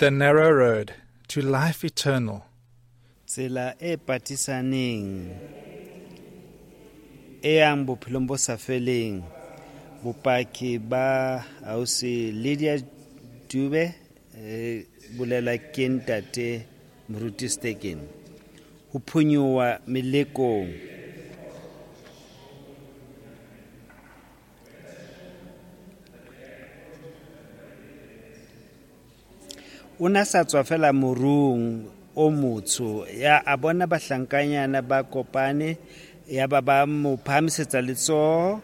The narrow road to life eternal. Tsela e patisaneng e yang bophelong bo sa feleng. Bopaki ba ausi Lydia Dube bolela ke ntate Moruti Steken. Ho phonyoha melekong. O na sa tswa fela morung o motsho, ya a bona bahlankanyana ba kopane, ya ba ba mo phahamisetsa letsoho.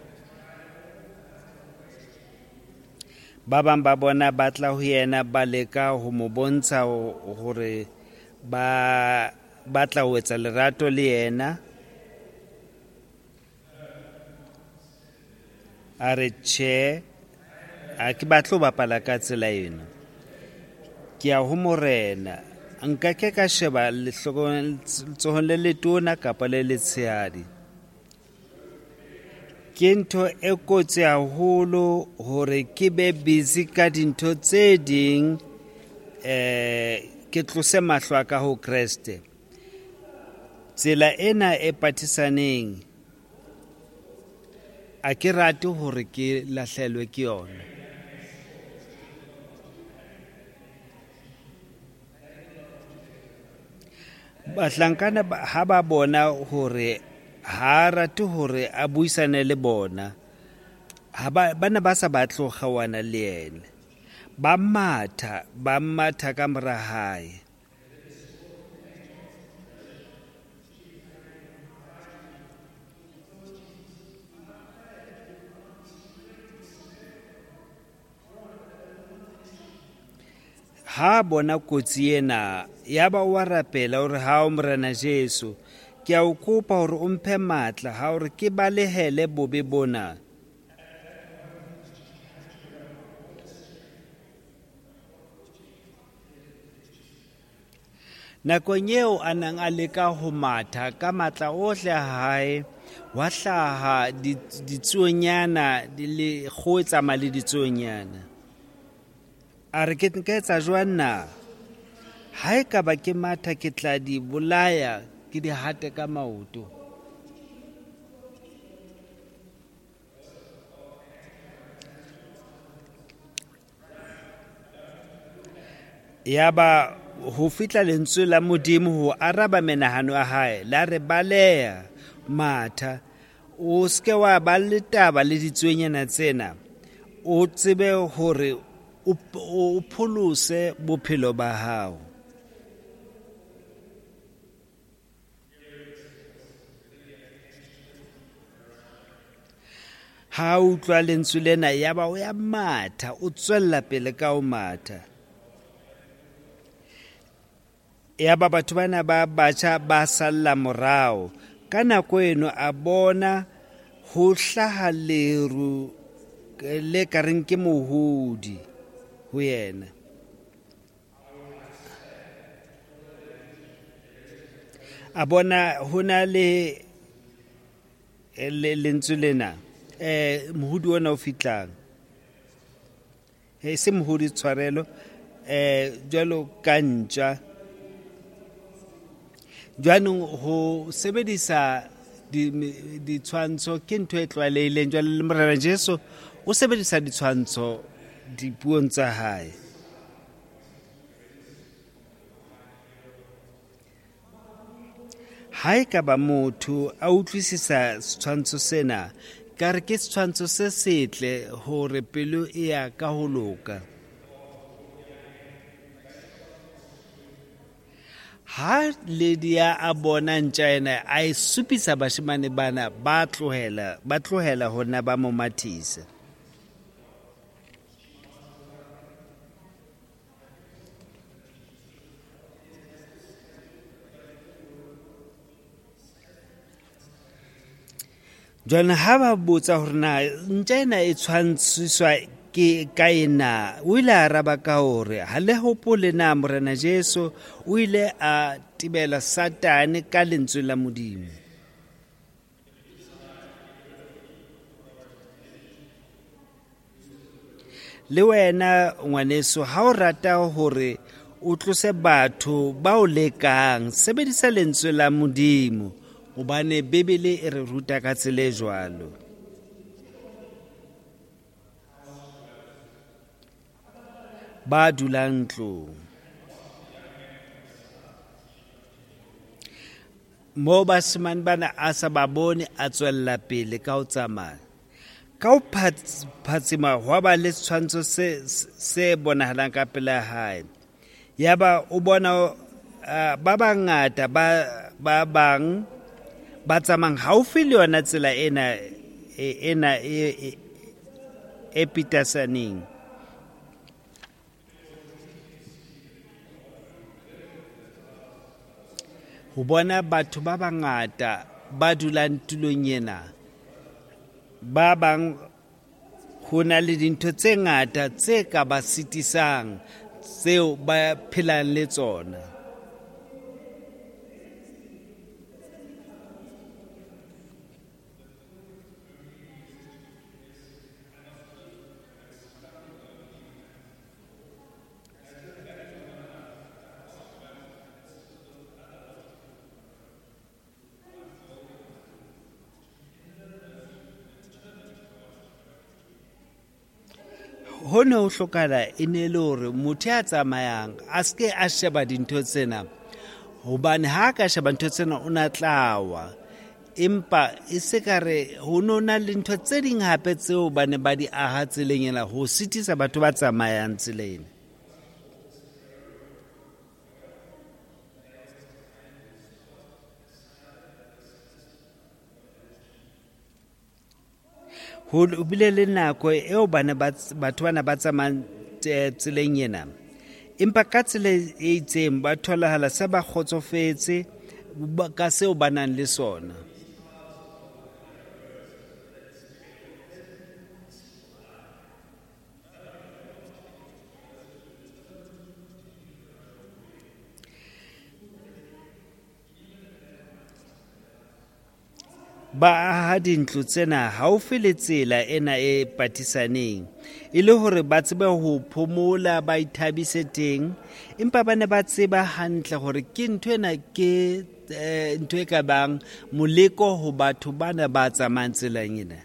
Ba bang ba bona ba tla ho yena ba leka ho mo bontsha hore ba batla ho etsa lerato le yena. A re tjhe, ha ke batle ho bapala ka tsela ena. Ke ya ho Morena, nka ke ka sheba letsohong le letona kapa le letshehadi. Ke ntho e kotsi haholo hore ke be busy ka dintho tse ding, ke tlose mahlo a ka ho Kreste. Tsela ena e patisaneng a ke rate hore ke lahlelwe ke yona. Bahlankana ha ba bona hore ha rate hore a buisane le bona, ha ba ne ba sa batle ho kgaohana le yena. Ba matha ka mora hae. Ha bona kotsi ena, ya ba wa rapela hore ha o Morena Jesu, ke a o kopa hore o mphe matla ha hore ke balehele bobe bona. Nakong eo a nang a leka ho matha ka matla ohle a hae, wa hlaha ditsuonyana le kgoho e tsamaya le ditsuonyana. A re ke nka etsa jwang na? Ha e ka ba ke matha ke tla di bolaya, ke di hate ka maoto. Yaba ho fihla lentswe la Modimo ho araba menahano ya hae, la re baleha, matha, o seke wa ba le taba le ditsuonyana tsena, o tsebe hore o pholose bophelo ba hao. Ha utlwa lentswe lena, yaba o ya matha, o tswella pele ka ho matha. Yaba batho bana ba batjha ba salla morao. Ka nako eno a bona ho hlaha leru le ka reng ke mohodi ho yena. A bona ho na le lentswe lena, mohodi ona o fihlang. Se mohodi tshwarelo, jwalo ka ntja. Jwanong ho sebedisa ditshwantsho ke ntho e tlwaelehileng. Jwale le Morena Jesu o sebedisa ditshwantsho dipuong tsa hae. Ha e ka ba motho a utlwisisa setshwantsho sena, ka re ke setshwantsho se setle hore pelo e ya ka ho loka. Ha Lydia a bona ntja ena, a e supisa bashemane bana, ba tlohela hona ba mo mathisa. Jwale ha ba botsa hore na ntja ena e tshwantshiswa ke ka ena, o ile a araba ka hore ha le hopole na Morena Jesu o ile a tibela Satane ka lentswe la Modimo. Le wena ngwaneso, ha o rata hore O tlose batho ba o lekang. Sebedisa lentswe la Modimo, hobane Bibele e re ruta ka tsela e jwalo. Ba dulang ntlong. Moo basimane bana a sa ba bone, a tswella pele ka ho tsamaya. Ka ho phatsima hwa ba le setshwantsho se bonahalang ka pela hae. Yaba o bona ba bangata ba bang ba tsamayang haufi le yona tsela ena e pitasaneng. Ho bona batho ba bangata ba dulang tulong ena, ba bang ho na le dintho tse ngata tse ka ba sitisang tseo ba phelang le tsona. Ho ne ho hlokahala e ne le hore motho ya tsamayang a se ke a sheba dintho tsena, hobane ha ka sheba ntho tsena o na tla wa. Empa e se ka re ho no na le ntho tse ding hape tseo ba ne ba di aha tseleng ena ho sitisa batho ba tsamayang tseleng. Ho bile le nako eo batho bana ba tsamayang tseleng ena, empa ka tsela e itseng ba tholahala se ba kgotsofetse ka seo ba nang le sona. Ba aha dintlo tsena haufi le tsela ena e patisaneng, e le hore ba tsebe ho phomola, ba ithabise teng. Empa ba ne ba tseba hantle hore ke ntho ena ke ntho e ka bang moleko ho batho bana ba tsamayang tseleng ena.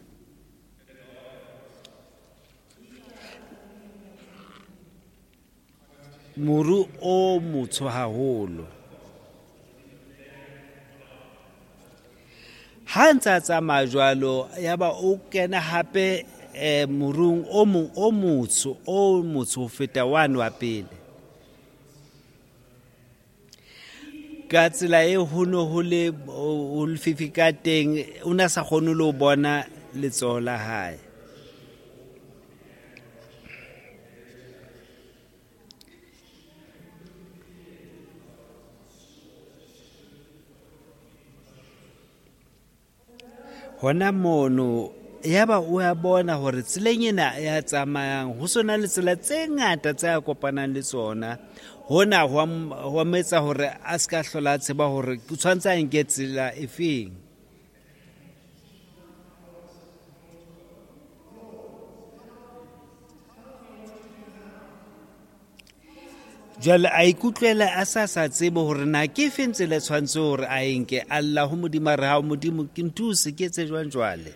Moru o motsho haholo. Ha ntse a tsamaya jwalo, yaba o kena hape morung o mong o motsho ho feta wane wa pele. Ka tsela e ho ne ho le lefifi ka teng, o ne a sa kgone le ho bona letsoho la hae. Hona mono yaba o a bona hore tseleng ena ya tsamayang ho sona le tsela tse ngata tse a kopanang le tsona. Hona ho mo etsa hore a se ka hlola a tseba hore o tshwanetse a nke tsela efeng. Jwale a ikutlwela a sa tsebe hore na ke efeng tsela e tshwanetse hore a e nke. A lla ho Modimo a re, hao Modimo, ke nthuse, ke etse jwang jwale?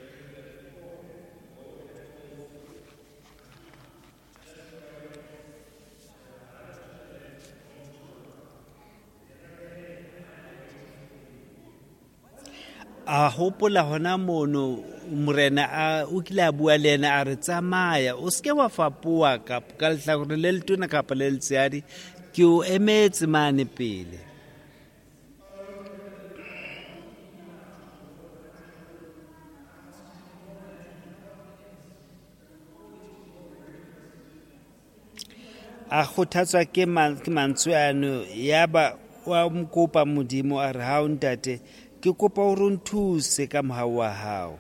A hopola hona mono morena o kile a bua le yena a re, tsamaya, o se ke wa fapoha ka lehlakore le letona kapa le letshehadi, ke o emetse mane pele. A kgothatswa ke mantswe ano, yaba wa mo kopa Modimo a re, hao ntate, ke kopa hore o nthuse ka mohau wa hao.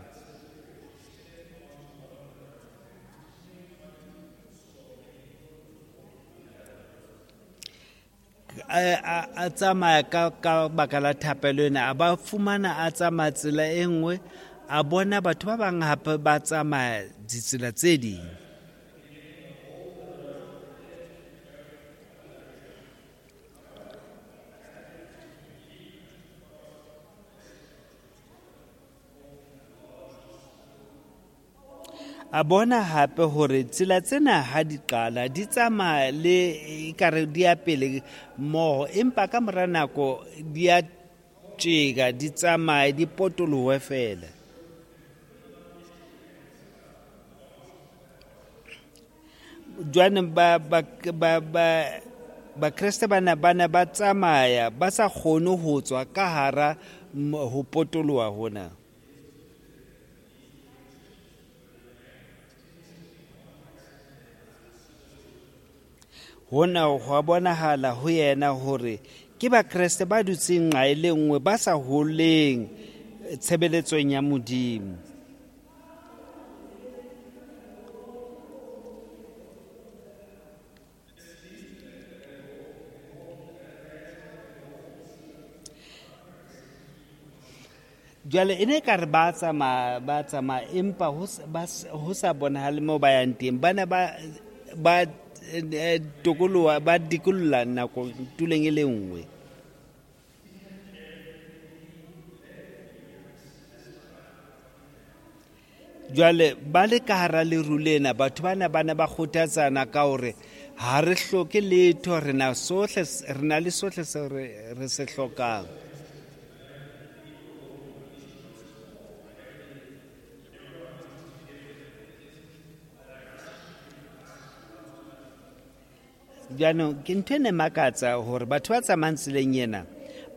A tsamaya ka baka la thapelo ena, a ba fumana a tsamaya tsela e nngwe, a bona batho ba bang hape ba tsamaya ditsela tse ding. A bona hape hore tsela tsena ha di qala di tsamaya le ekare di ya pele mmoho, empa ka mora nako di a tjeka, di tsamaye, di potolohe feela. Jwaneng Bakreste bana ba ne ba tsamaya ba sa kgone ho tswa ka hara ho potoloha hona. Hona hwa bonahala ho yena hore ke Bakreste ba dutseng nqa e le nngwe, ba sa holeng tshebeletsong ya Modimo. Jwale e ne ekare ba tsamaya, ba tsamaya, empa ho sa bonahale moo ba yang teng. Ba ne ba tokoloha, ba dikolola nako tulong e le nngwe. Jwale ba le ka hara leru lena, batho bana ba ne ba kgothatsana ka hore ha re hloke letho, re na sohle, re na le sohle seo re se hlokang. Jaanong ke ntho e ne makatsa hore batho ba tsamayang tseleng ena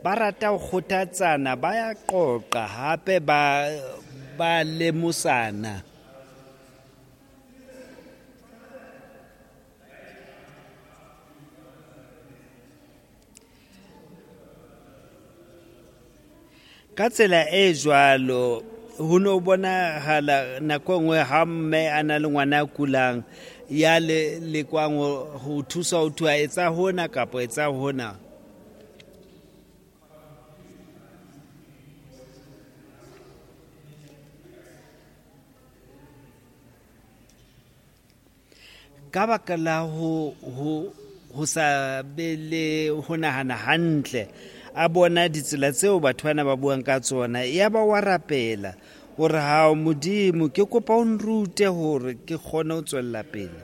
ba rata ho kgothatsana, ba ya qoqa hape ba lemosana. Ka tsela e jwalo ho no bonahala nako e nngwe ha mme a na le ngwana a kulang ya lekwang ho thusa ho thwa etsa hona kapa etsa hona. Ka baka la ho sa be le ho nahana hantle, a bona ditsela tseo batho bana ba buang ka tsona, ya ba wa rapela hore ha Modimo ke kopa o nrute hore ke kgone ho tswella pele.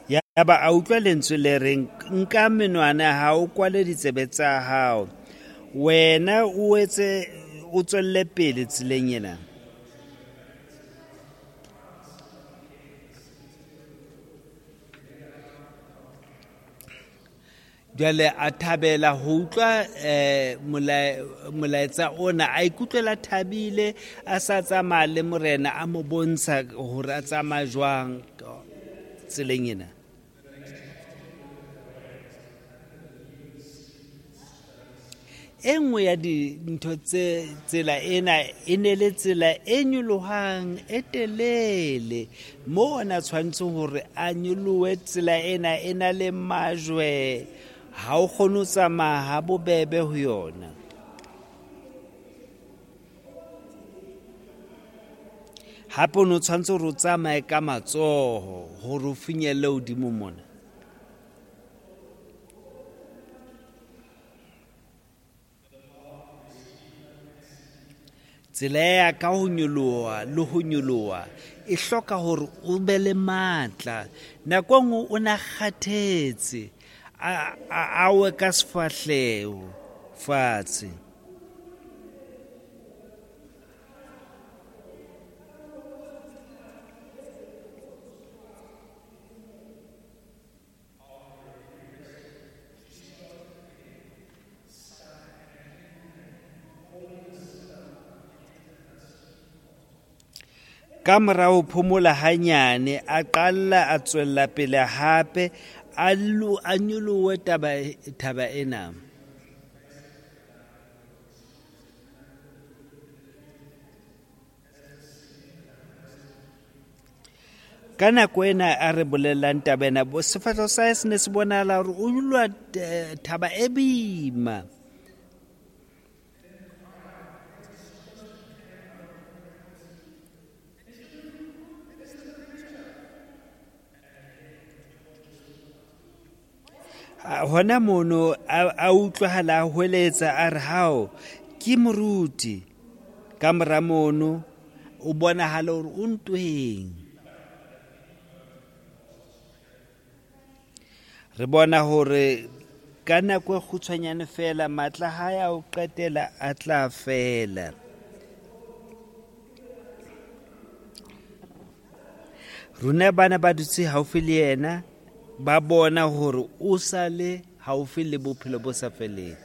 Ya ba a utlwa lentswe le reng, nka menwana ya hao, o kwale ditsebe tsa hao, wena o etse o tswelle pele tseleng ena. Jwale a thabela ho utlwa molaetsa ona, a ikutlwela thabile, a sa tsamaya le morena, a mo bontsha hore a tsamaya jwang tseleng ena. E nngwe ya dintho tse tsela ena e ne le tsela e nyolohang e telele, moo ona tshwanetse hore a nyolohe tsela ena e na le majwe, ha o kgone ho tsamaya ha bobebe ho yona. Hape o no tshwanetse hore o tsamaye ka matsoho hore o finyelle hodimo mona. Tsela ya ka ho nyoloha le ho nyoloha e hloka hore o be le matla. Nako e nngwe o na kgathetse, a we ka sefahleho fatshe. Ka mora ho phomola hanyane, a qala a tswella pele hape, a nyolohe thaba ena. Ka nako ena a re bolellang taba ena, sefahleho sa hae se ne se bonahala hore o nyoloha thaba e boima. Hona mono a utlwahala a hweletsa a re, hao, ke moruti. Ka mora mono o bonahala hore o ntweng. Re bona hore ka nako e kgutshwanyane fela matla a hae a ho qetela a tla fela. Rona bana ba dutse haufi le yena, ba bona hore o sa le haufi le bophelo bo sa feleng.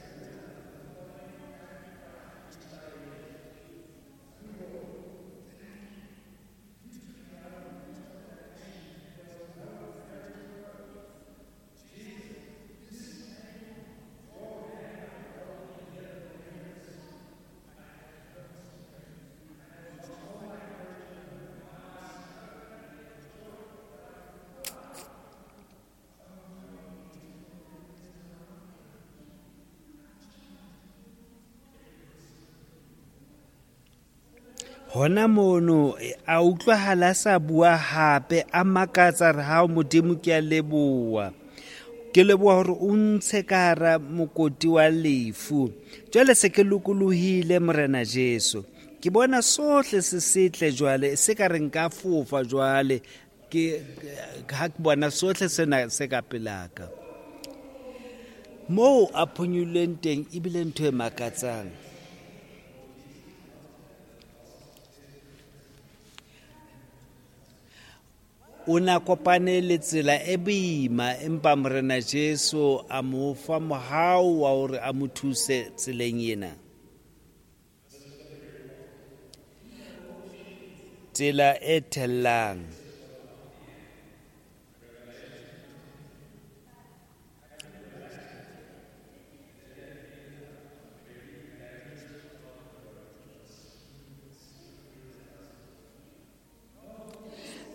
Hona mono a utlwahala a sa bua hape, a makatsa re, hao Modimo, ke a leboha. Ke leboha hore o ntshe ka hara mokoti wa lefu. Jwale se ke lokolohile, Morena Jesu. Ke bona sohle se setle jwale, se ka re nka fofa jwale, ke ha ke bona sohle sena se ka pelaka. Moo a phonyuleng teng ebile ntho e makatsang. O na kopane le tsela e boima, empa Morena Jesu a mo fa mohau wa hore a mo thuse tseleng ena. Tsela e thellang.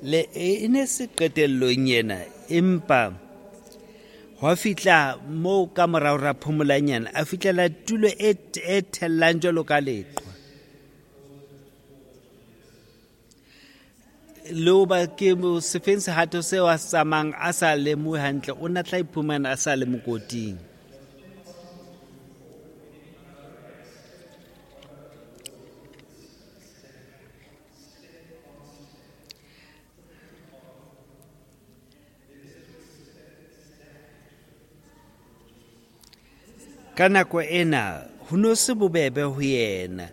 Le e ne se qetellong ena, empa hwa fihla moo ka morao ra phomolanyana, a fihlela tulo e thellang jwalo ka leqhwa. Le hoba ke sefeng sehato seo a se tsamayang a sa lemohe hantle, o na tla iphumana a sa le mokoting. Ka nako ena ho no se bobebe ho yena.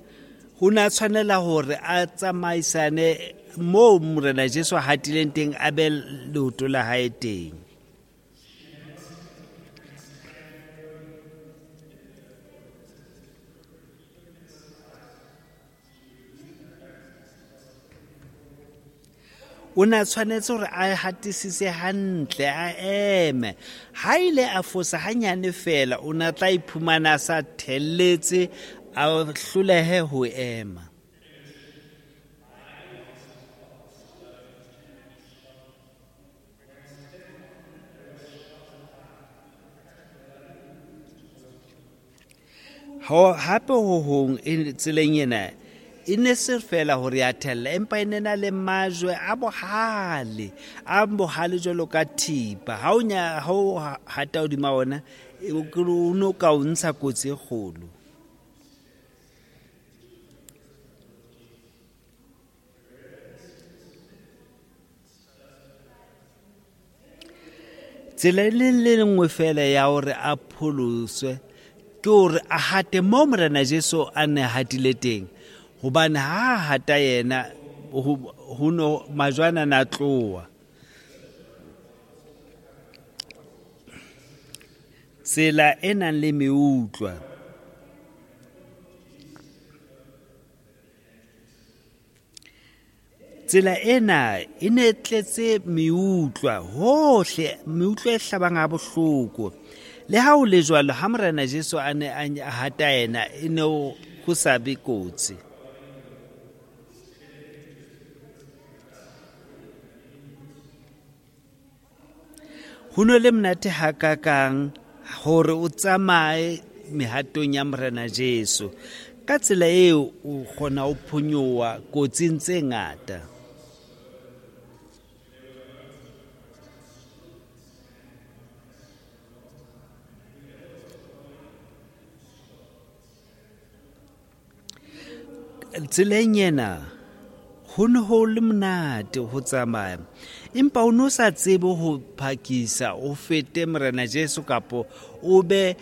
Ho na tshwanela hore a tsamaisane moo Morena Jesu a hatileng teng, a be leoto la hae teng. O na tshwanetse hore a hatisise hantle, a eme. Ha ile a fosa hanyane fela, o na tla iphumana a sa thelletse, a hlolehe ho ema. Hape ho hong tseleng ena e ne se fela hore ya thella, empa e ne na le majwe a bohale, a bohale jwalo ka thipa. Ha o hata hodima ona, o no ka o ntsha kotsi e kgolo. Tsela e le nngwe fela ya hore a pholoswe ke hore a hate moo Morena Jesu a ne hatile teng, hobane ha hata yena ho no majwana na tloha. Tsela e nang le meutlwa. Tsela ena e ne tletse meutlwa hohle, meutlwa e hlabang ha bohloko. Le ha ho le jwalo, ha Morena Jesu a ne a hata yena, e ne ho sa be kotsi. Ho no le monate hakakang hore o tsamaye mehatong ya Morena Jesu. Ka tsela eo o kgona ho phonyoha kotsing tse ngata. Tseleng ena ho ne ho le monate ho tsamaya, empa o no sa tsebe ho phakisa o fete Morena Jesu kapo o be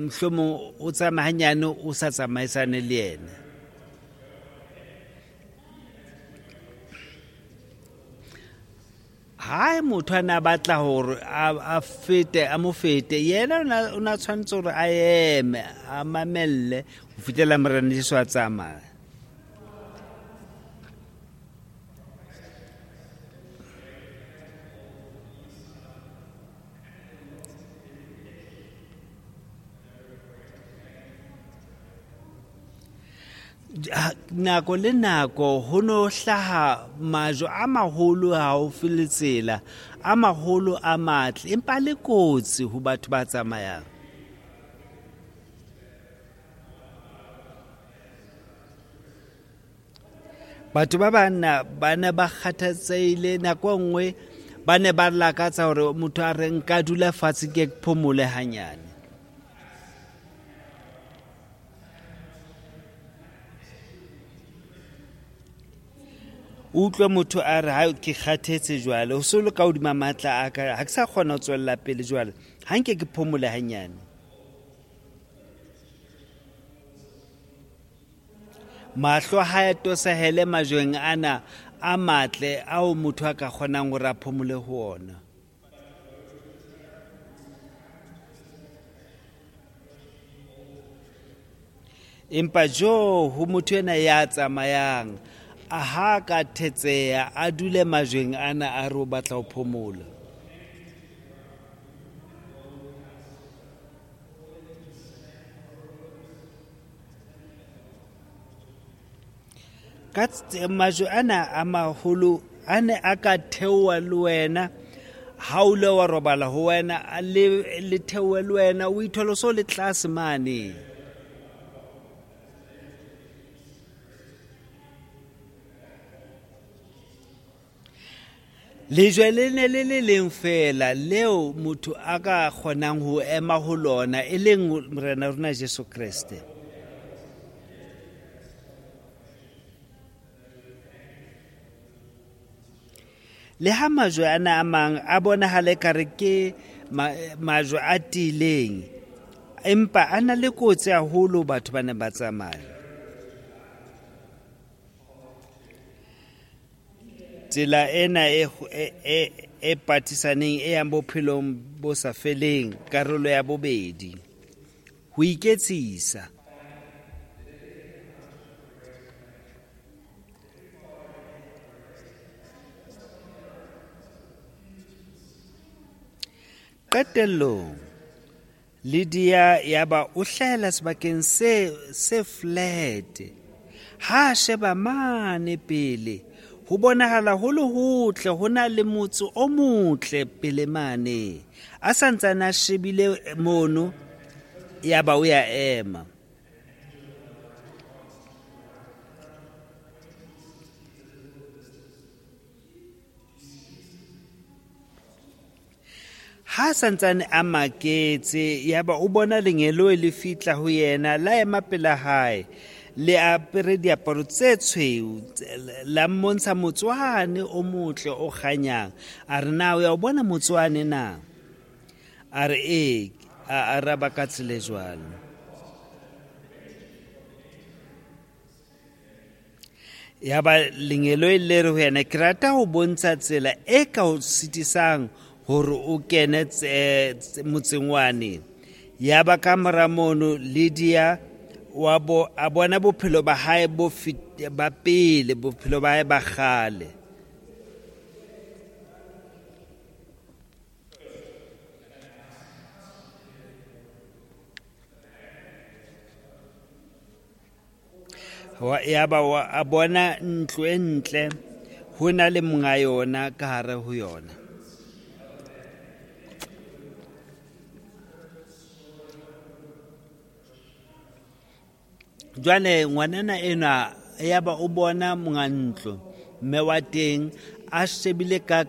mohlomong o tsamaye hanyane o sa tsamaisane le yena. Ha motho a ne a batla hore a fete, a mo fete, yena o na tshwanetse hore a eme, a mamelle ho fihlela Morena Jesu a tsamaya. Nako le nako ho no hlaha majwe a maholo haufi le tsela, a maholo a matle, empa le kotsi ho batho ba tsamayang. Batho ba banna ba ne ba kgathatsehile nako e nngwe, ba ne ba lakatsa hore motho a re nka dula fatshe ke phomole hanyane. Utlwe motho a re ha ke kgathetse jwale, ho so le ka hodima matla a ka, ha ke sa kgona ho tswella pele jwale, ha nke ke phomole hanyane. Mahlo ha a tosahele majweng ana a matle ao motho a ka kgonang hore a phomole ho ona. Empa jo ho motho ena ya tsamayang, a ha ka thetseha, a dule majweng ana a re o batla ho phomola. Ka majwe ana a maholo a ne a ka theoha le wena, ha o ile wa robala ho wena, le theohe le wena, o ithole o so le tlase mane. Lejwe le ne le le leng feela leo motho a ka kgonang ho ema ho lona, e leng Morena rona Jesu Kreste. Le ha majwe ana a mang a bonahala ekare ke majwe a tiileng, empa a na le kotsi haholo batho ba neng ba tsamaya. Tsela ena e patisaneng e yang bophelong bo sa feleng, karolo ya bobedi, ho iketsisa. Qetellong, Lydia yaba o hlahela sebakeng se flat. Ha a sheba mane pele, ho bonahala ho le hotle, ho na le motse o motle pele mane. A santsane a shebile mono, yaba o ya ema. Ha santsane a maketse, yaba o bona lengeloi le fihla ho yena, la ema pela hae, le apere diaparo tse tshweu, la mmontsha motswane o motle o kganyang. A re, na o ya o bona motswane na? A re, ee, a araba ka tsela e jwalo. Yaba lengeloi le re ho yena, ke rata ho bontsha tsela e ka o sitisang hore o kene motseng wane. Yaba ka mora mono Lydia a bona bophelo ba hae ba pele, bophelo ba hae ba kgale. Yaba a bona ntlo e ntle, ho na le monga yona ka hare ho yona. Jwale ngwanana enwa yaba o bona monga ntlo, mme wa teng a shebile ka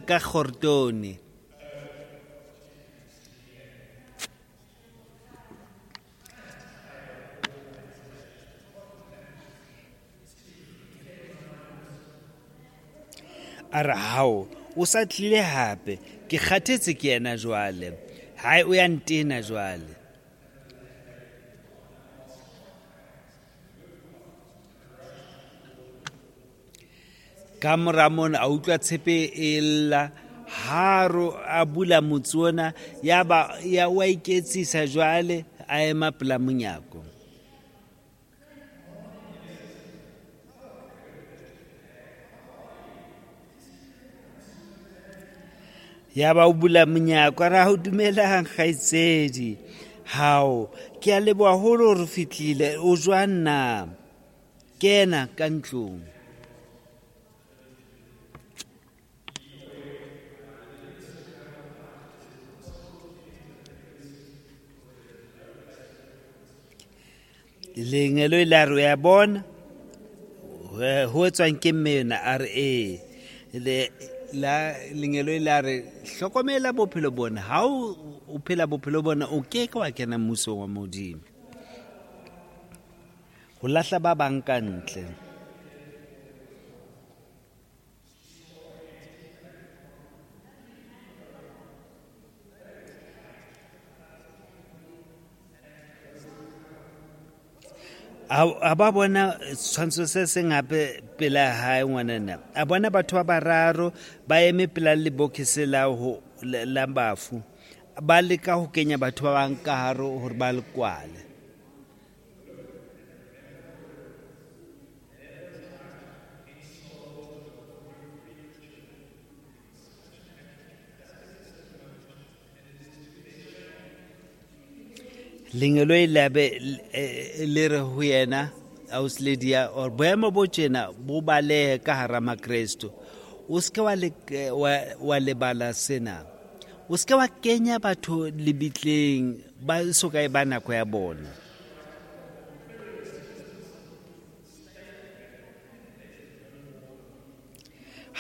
kgortone. A re, hao, o sa tlile hape, ke kgathetse ke yena jwale. Hae, o ya ntena jwale. Ka mora mona a utlwa tshepe e lla, haro a bula motse ona, ya ba ya wa iketsisa jwale, a ema pela monyako. Ya ba o bula monyako, a re, ha o dumelang kgaitsedi, hao, ke a leboha haholo hore o fihlile, o jwang na? Kena ka ntlong. Lengeloi la re, o ya bona ho etswang ke mme yona? A re, ee. La lengeloi la re, hlokomela bophelo bona, ha o phela bophelo bona o ke ke wa kena mmusong wa Modimo. Ho lahla ba bang ka ntle. A ba bona setshwantsho se seng hape pela hae ngwanana. A bona batho ba bararo ba eme pela lebokese la bafu. Ba leka ho kenya batho ba bang ka hare hore ba le kwale. Lengeloi la be le re ho yena, ausi Lydia, or boemo bo tjena bo balehe ka hara Makresto. O se ke wa lebala sena. O se ke wa kenya batho lebitleng ba so ka e ba nako ya bona.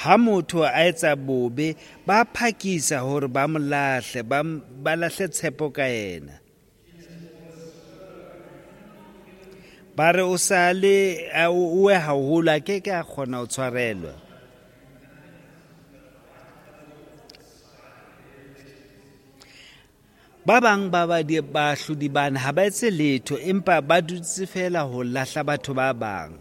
Ha motho a etsa bobe, ba phakisa hore ba mo lahle, ba lahle tshepo ka yena. Ba re o sa le o we haholo, a ke ke a kgona ho tshwarelwa. Ba bang ba baahlodi bana ha ba etse letho, empa ba dutse feela ho lahla batho ba bang.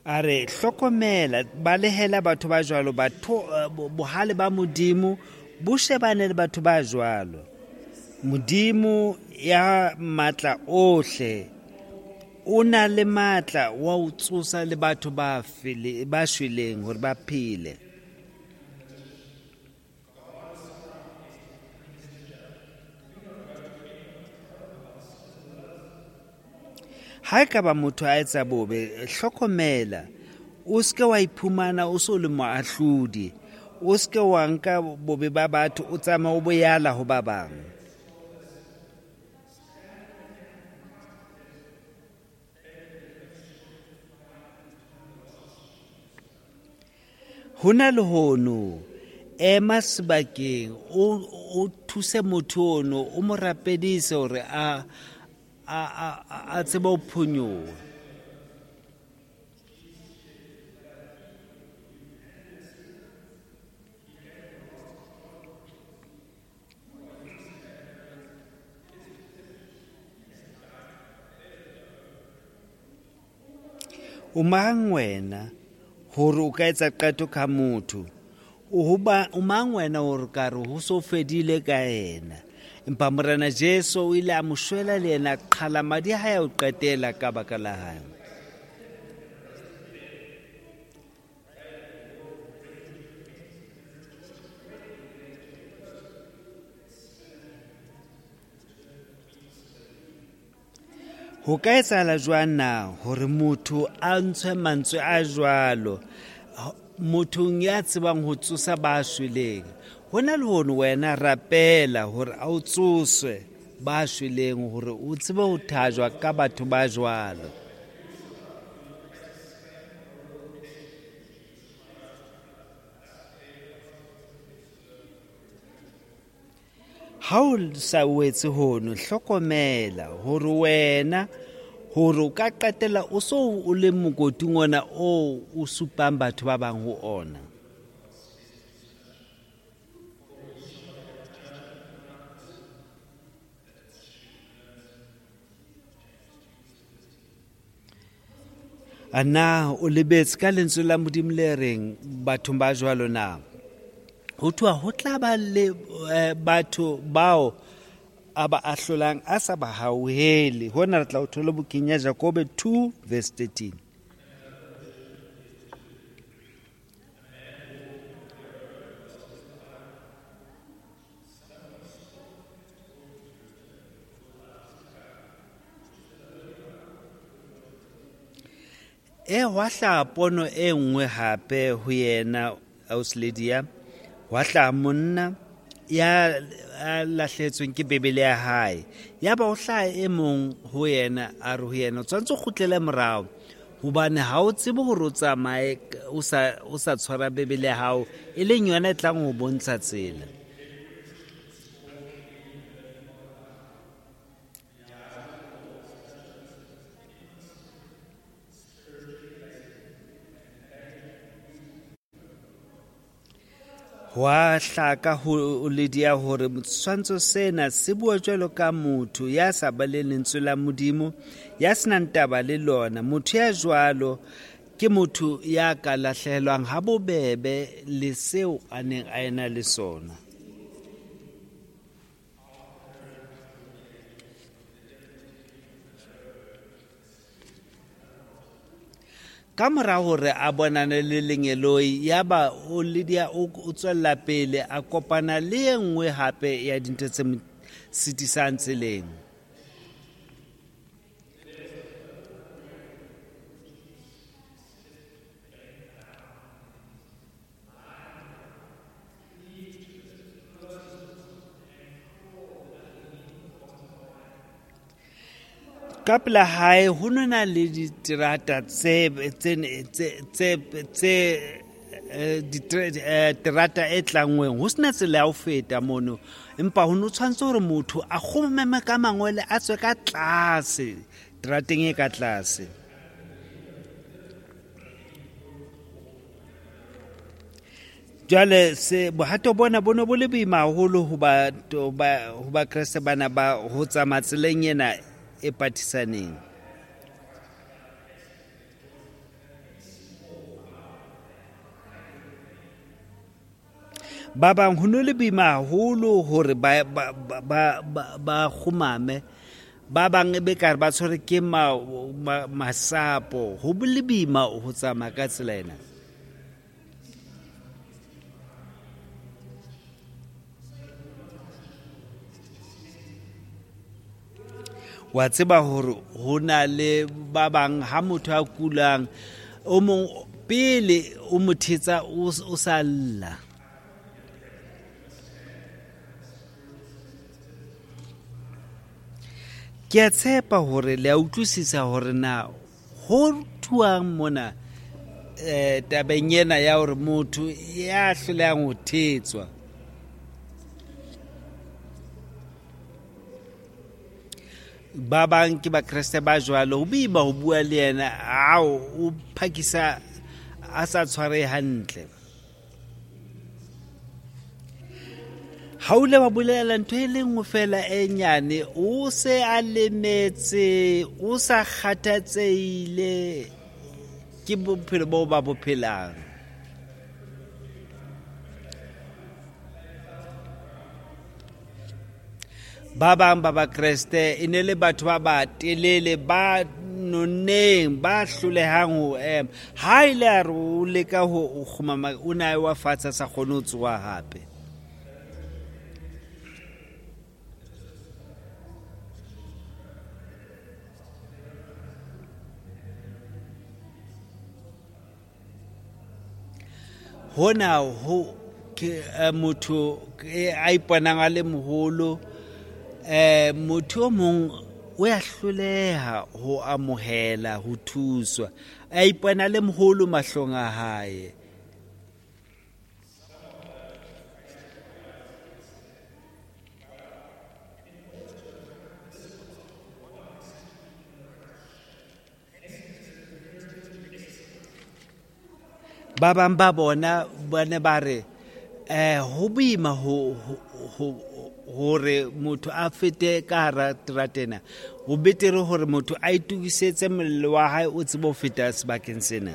A re, hlokomela, balehela batho ba jwalo, batho bohale ba Modimo bo shebane le batho ba jwalo. Modimo ya matla ohle o na le matla wa ho tsosa le batho ba shweleng hore ba phele. Ha ekaba motho a etsa bobe, hlokomela, o se ke wa iphumana o so le moahlodi. O se ke wa nka bobe ba batho, o tsamaya o boyala ho ba bang. Ho na le hono, ema sebakeng, o thuse motho ono, o mo rapedise hore a tsebe ho phonyoha. O mang wena hore o ka etsa qeto ka motho? O mang wena hore ka re ho so fedile ka yena? Empa Morena Jesu o ile a mo shwela le yena, qhala madi a hae a ho qetela ka baka la hae. Ho ka etsahala jwang na hore motho a ntshwe mantswe a jwalo mothong ya tsebang ho tsosa ba shweleng? Ho na le hono wena rapela hore a o tsoswe ba shweleng hore o tsebe ho thajwa ka batho ba jwalo. Ha o sa o etse hono, hlokomela hore wena Hore o ka qetella o so o le mokoting ona oo o supang batho ba bang ho ona. A na o lebetse ka lentswe la Modimo le reng bathong ba jwalo na? Ho thwa ho tla ba le batho bao a ba ahlolang a sa ba hauhele. Hona re tla o thola bukeng ya Jakobe 2 verse 13. E hwa hlaha pono e nngwe hape ho yena Ausledia, hwa hlaha monna ya lahlehetsweng ke Bibele ya hae. Yaba o hlaha e mong ho yena, a re ho yena, o tshwanetse o kgutlele morao hobane ha o tsebe hore o tsamaye o sa tshwara Bibele ya hao, e leng yona e tlang ho bontsha tsela. Hwa hlaka ho Lydia hore setshwantsho sena se bua jwalo ka motho ya sa baleng lentswe la Modimo, ya senang taba le lona. Motho ya jwalo ke motho ya ka lahlehelwang ha bobebe le seo a neng a ena le sona. Ka mora hore a bonane le lengeloi, yaba o Lydia o tswella pele a kopana le e nngwe hape ya dintho tse mo sitisang tseleng. Ka pela hae ho nona le diterata tse terata e tlangweng, ho sena tsela ya ho feta mono, empa ho no tshwanetse hore motho a kgomeme ka mangwele a tswe ka tlase terateng e ka tlase. Jwale se bohato bona bo ne bo le boima haholo ho Bakreste bana ba ho tsamaya tseleng ena e patisaneng. Ba bang ho no le boima haholo hore ba kgumame, ba bang e be kare ba tshwere ke masapo. Ho le boima ho tsamaya ka tsela ena. Wa tseba hore ho na le ba bang ha motho a kulang, o mong pele o mo thetsa o sa lla. Ke a tshepa hore le a utlwisisa hore na ho thuang mona tabeng ena ya hore motho ya hlolehang ho thetswa. Ba bang ke Bakreste ba jwalo, ho boima ho bua le yena, ao o phakisa a sa tshware hantle. Ha o ile wa bolela ntho e le nngwe fela e nyane, o se a lemetse, o sa kgathatsehile ke bophelo boo ba bo phelang. Ba bang ba Bakreste e ne le batho ba batelele, ba nonneng, ba hlolehang ho ema. Ha ile a re o leka ho kgumama, o ne a wa fatshe a sa kgone ho tsoha hape. Hona ho ke motho a iponang a le moholo, motho o mong o ya hloleha ho amohela ho thuswa, a ipona le moholo mahlong a hae. Ba bang ba bona ba ne ba re ho boima hore motho a fete ka hara terata ena. Ho betere hore motho a itokisetse mollo wa hae o tsebe ho feta sebakeng sena.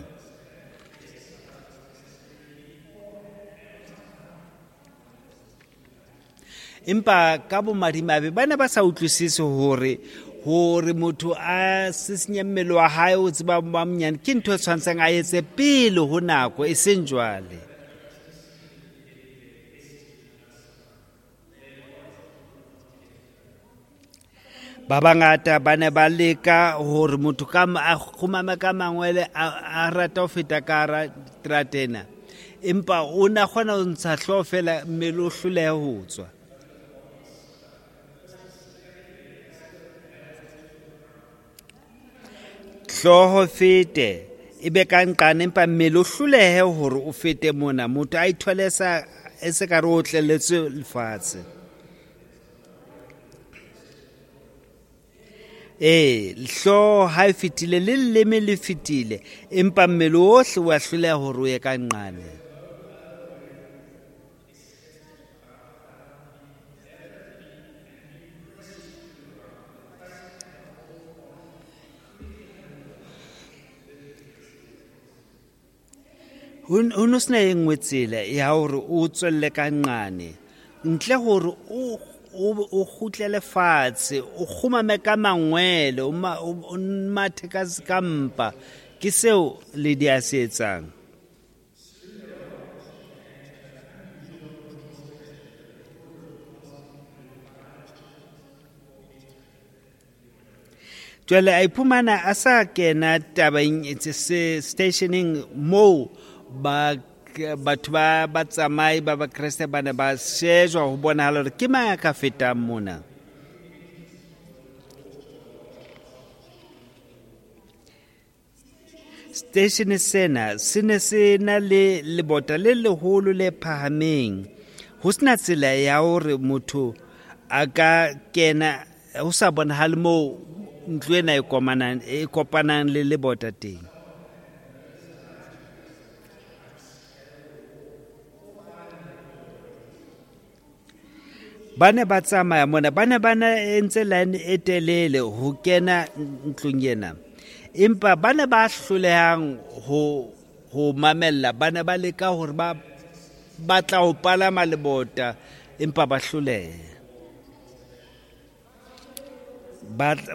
Empa ka bomadimabe ba ne ba sa utlwisise hore motho a sisinye mmele wa hae o tseba ba monyane ke ntho e tshwantseng a etse pele ho nako, e seng jwale. Ba bangata ba ne ba leka hore motho ka a kgumame ka mangwele a rata ho feta ka hara terata ena, empa o na kgona ho ntsha hlooho feela mmele o hlolehe ho tswa. Hlooho fete e be ka nqane, empa mmele o hlolehe hore o fete mona. Motho a ithole e se ka re o tlelletswe lefatshe. Hlooho ha e fetile le leleme le fetile, empa mmele ohle wa hloleha hore o ye ka nqane. Ho no sena e nngwe tsela ya hore o tswelle ka nqane ntle hore o kgutlele fatshe, o kgumame ka mangwele, o mathe ka mpa. Ke seo Lydia a se etsang. Jwale a iphumana a sa kena tabeng stationeng moo batho ba batsamai ba Bakreste ba ne ba shejwa ho bonahala hore ke mang a ka fetang mona. Station sena se ne se na le lebota le leholo le phahameng, ho sena tsela ya hore motho a ka kena, ho sa bonahale moo ntlo ena e kopanang le lebota teng. Ba ne ba tsamaya mona, ba ne ba entse line e telele ho kena ntlong ena, empa ba ne ba hlolehang ho mamella. Ba ne ba leka hore ba batla ho palama lebota, empa ba hloleha.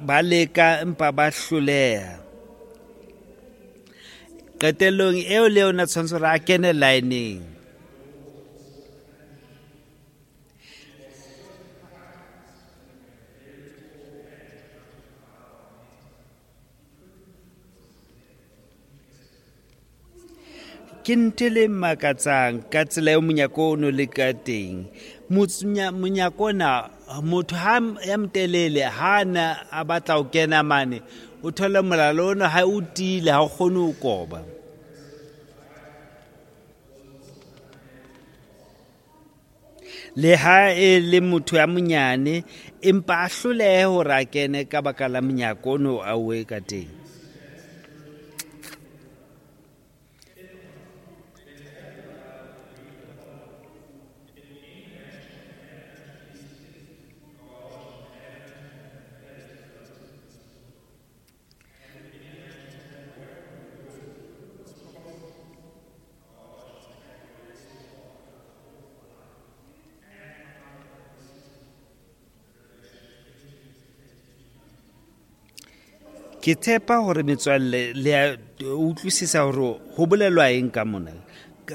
Ba leka empa ba hloleha. Qetellong eo le yona tshwanetse hore a kene lineng. Ke ntho le makatsang ka tsela eo monyako o no le ka teng. Monyako ona, motho ha ya motelele ha na a batla ho kena mane, o thola molala ona ha o tiile, ha o kgone ho koba. Le ha e le motho ya monyane, empa a hlolehe hore a kene ka baka la monyako ono a oe ka teng. Ke tshepa hore metswalle le a utlwisisa hore ho bolelwa eng ka mona.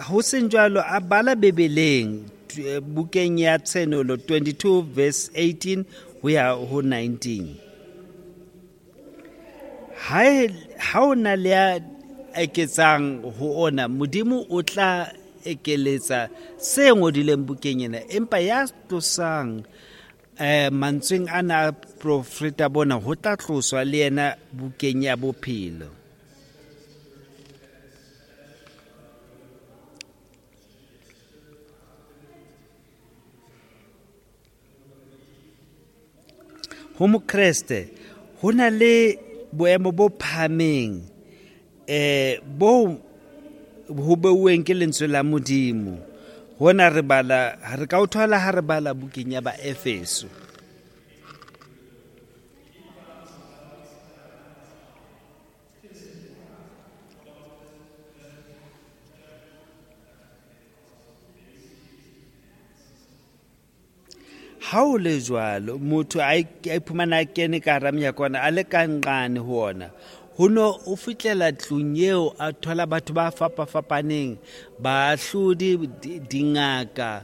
Ho seng jwalo, a bala Bibeleng bukeng ya Tshenolo 22 verse 18 ho ya ho 19. Ha o na le a eketsang ho ona, Modimo o tla ekeletsa se ngodileng bukeng ena, empa ya tlosang mantsweng ana a profeta bona ho tla tloswa le yena bukeng ya bophelo. Ho Mokreste ho na le boemo bo phahameng bo ho beuweng ke lentswe la Modimo. Hona re bala, re ka o thola ha re bala bukeng ya Baefeso. Ha o le jwalo, motho a iphumana a kene ka hara menyako ona, a le ka nqane ho ona. Ho no o fihlela tlung eo, a thola batho ba fapafapaneng, baahlodi, dingaka,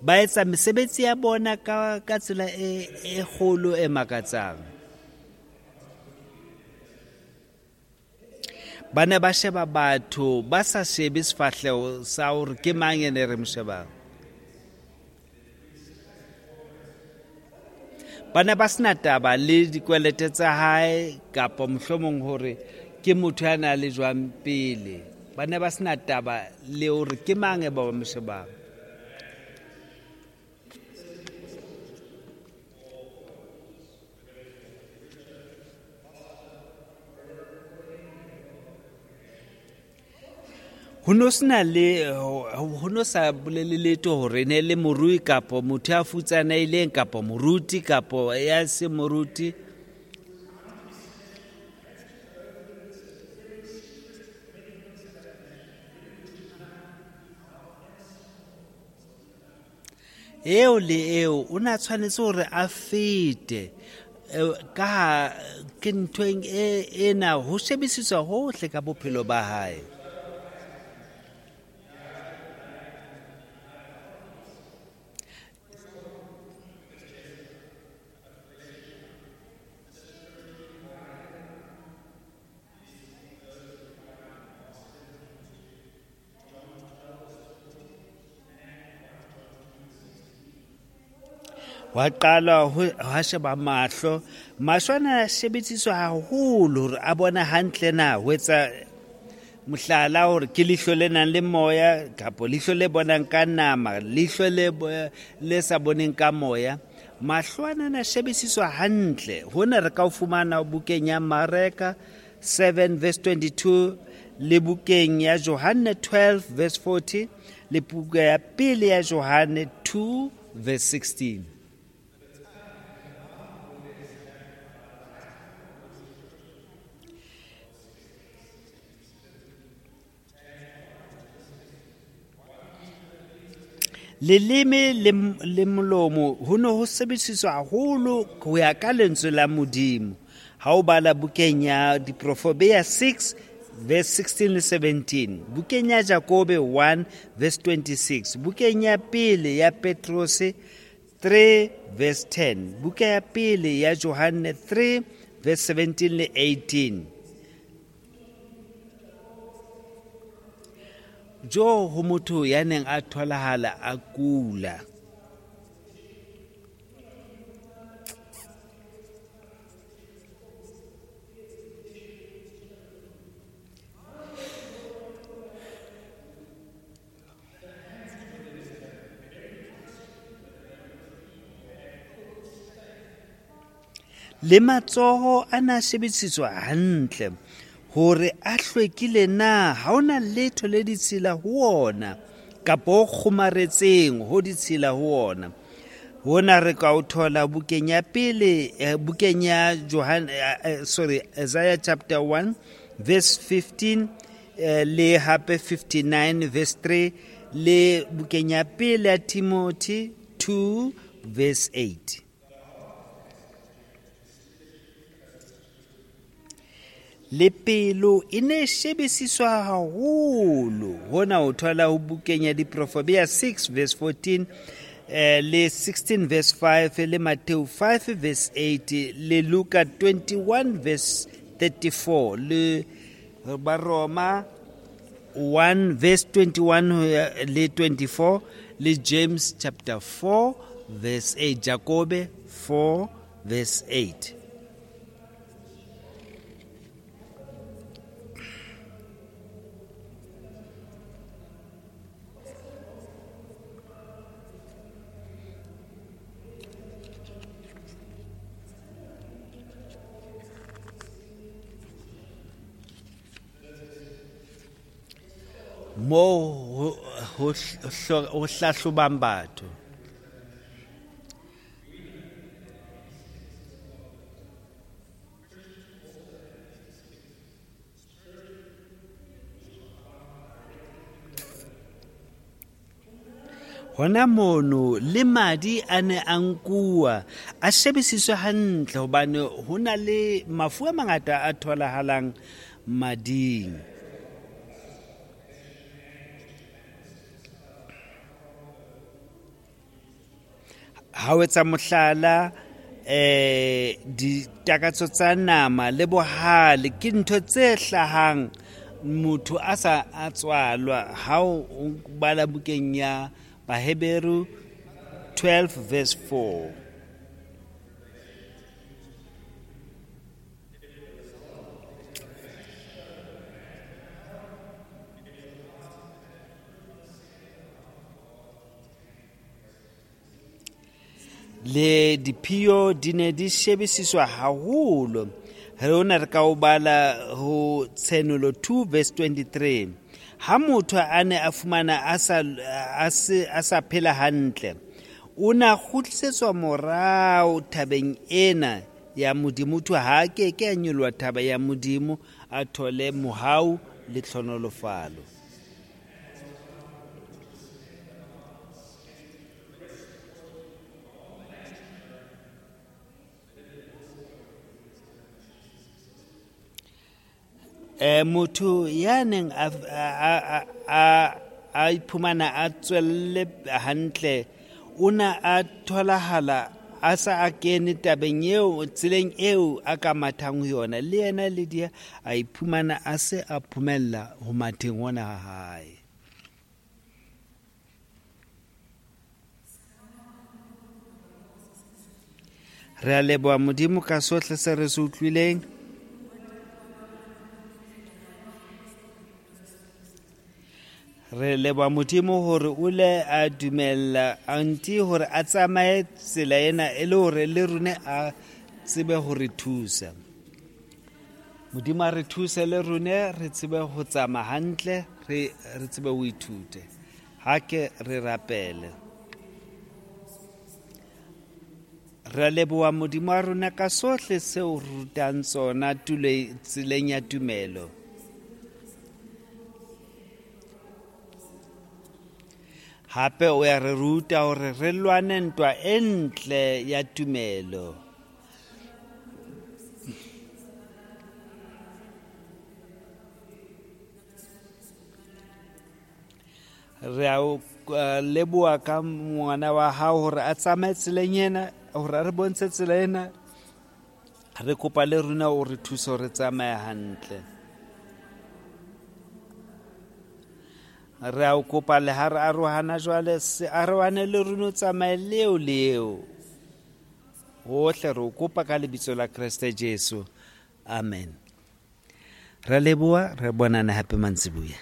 ba etsa mesebetsi ya bona ka tsela e kgolo e makatsang. Ba ne ba sheba batho, ba sa shebe sefahleho sa hore ke mang ene re mo shebang. Ba ne ba sena taba le dikwelete tsa hae kapa mohlomong hore ke motho ya nang le jwang pele. Ba ne ba sena taba le hore ke mang e ba mo shebang. Ho no sena le, ho no sa bolele letho hore ne le morui kapo motho ya futsanehileng kapo moruti kapo ya se moruti. Eo le eo o na tshwanetse hore a fete ka ke nthweng ena ho shebisiswa hohle ka bophelo ba hae. Wa qala ho sheba mahlo, mahlo ana a shebisiswa haholo hore a bona hantle na, ho etsa mohlala hore ke leihlo le nang le moya kapa leihlo le bonang ka nama, leihlo le sa boneng ka moya. Mahlo ana a shebisiswa hantle. Hona re ka o fumana bukeng ya Mareka 7 verse 22 le bukeng ya Johanne 12 verse 40 le buka ya pele ya Johanne 2 verse 16. Leleme le molomo ho no ho sebediswa haholo ho ya ka lentswe la Modimo. Ha o bala bukeng ya Diprofobea 6 verse 16 le 17, bukeng ya Jakobe 1 verse 26, bukeng ya pele ya Petrose 3 verse 10, buka ya pele ya Johanne 3 verse 17 le 18. Jo ho motho ya neng a tholahala a kula. Le matsoho a na shebisiswa hantle hore a hlwekile na, ha ona letho le ditshila ho ona kapa o kgomaretseng ho ditshila ho ona. Hona re ka o thola bukeng ya pele, bukeng ya Isaiah chapter 1 verse 15 le hape 59 verse 3 le bukeng ya pele ya Timothy 2 verse 8. Le pelo e ne shebisiswa haholo. Hona o thola ho bukeng ya Diprofobea 6 verse 14 le 16 verse 5 le Matthew 5 verse 8 le Luka 21 verse 34 le Baroma 1 verse 21 le 24 le James chapter 4 verse 8, Jakobe 4 verse 8. Moo ho hlahlobang batho. Hona mono le madi a ne a nkuwa a shebisiswe hantle hobane ho na le mafu a mangata a tholahalang mading. Ha o etsa mohlala, ditakatso tsa nama le bohale ke ntho tse hlahang motho a sa a tswalwa. Ha o bala bukeng ya Baheberu 12 verse 4. Le diphio di ne di shebisiswa haholo. Rona re ka o bala ho Tshenolo 2 verse 23. Ha motho a ne a fumana a sa phela hantle, o na kgutlisetswa morao thabeng ena ya Modimo. Motho ha a ke ke a nyoloha thaba ya Modimo a thole mohau le tlhonolofalo. Motho ya neng a iphumana a tswelle hantle, o na a tholahala a sa a kene tabeng eo, tseleng eo a ka mathang ho yona. Le yena Lydia a iphumana a se a phomella ho matheng hona ha hae. Re a leboha Modimo ka sohle se re se utlwileng. Re leboha Modimo hore o le a dumella auntie hore a tsamaye tsela ena e le hore le rone a tsebe ho re thusa. Modimo a re thuse le rone re tsebe ho tsamaya hantle, re tsebe ho ithute. Ha ke re rapele. Re leboha Modimo wa rona ka sohle seo re rutang tsona tseleng ya tumelo. Hape o ya re ruta hore re lwane ntwa e ntle ya tumelo. Re a o leboha ka ngwana wa hao hore a tsamaye tseleng ena, hore a re bontshe tsela ena. Re kopa le rona o re thuse hore re tsamaye hantle. Re a o kopa le ha re arohana jwale, se arohane le rona, o tsamaye leo leo. Hohle re o kopa ka lebitso la Kreste Jesu. Amen. Re leboha, re bonana hape mantsibuya.